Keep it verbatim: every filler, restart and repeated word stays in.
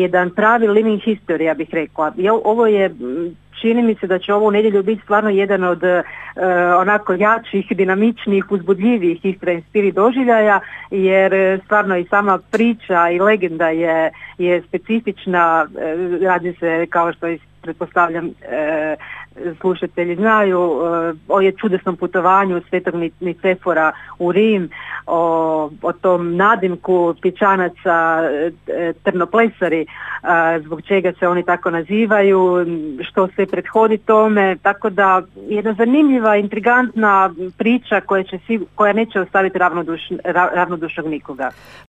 jedan pravi living history, ja bih rekla. Ovo je, čini mi se da će ovo u nedjelju biti stvarno jedan od uh, onako jačih, dinamičnijih, uzbudljivijih Istra in Spirit doživljaja, jer stvarno i sama priča i legenda je, je specifična, radi se, kao što pretpostavljam e, slušatelji znaju, e, o je čudesnom putovanju Svetog Nicefora u Rim, o, o tom nadimku pječanaca e, trnoplesari, e, zbog čega se oni tako nazivaju, što se prethodi tome, tako da jedna zanimljiva, intrigantna priča koja, će, koja neće ostaviti ravnoduš, ravnodušnog nikoga.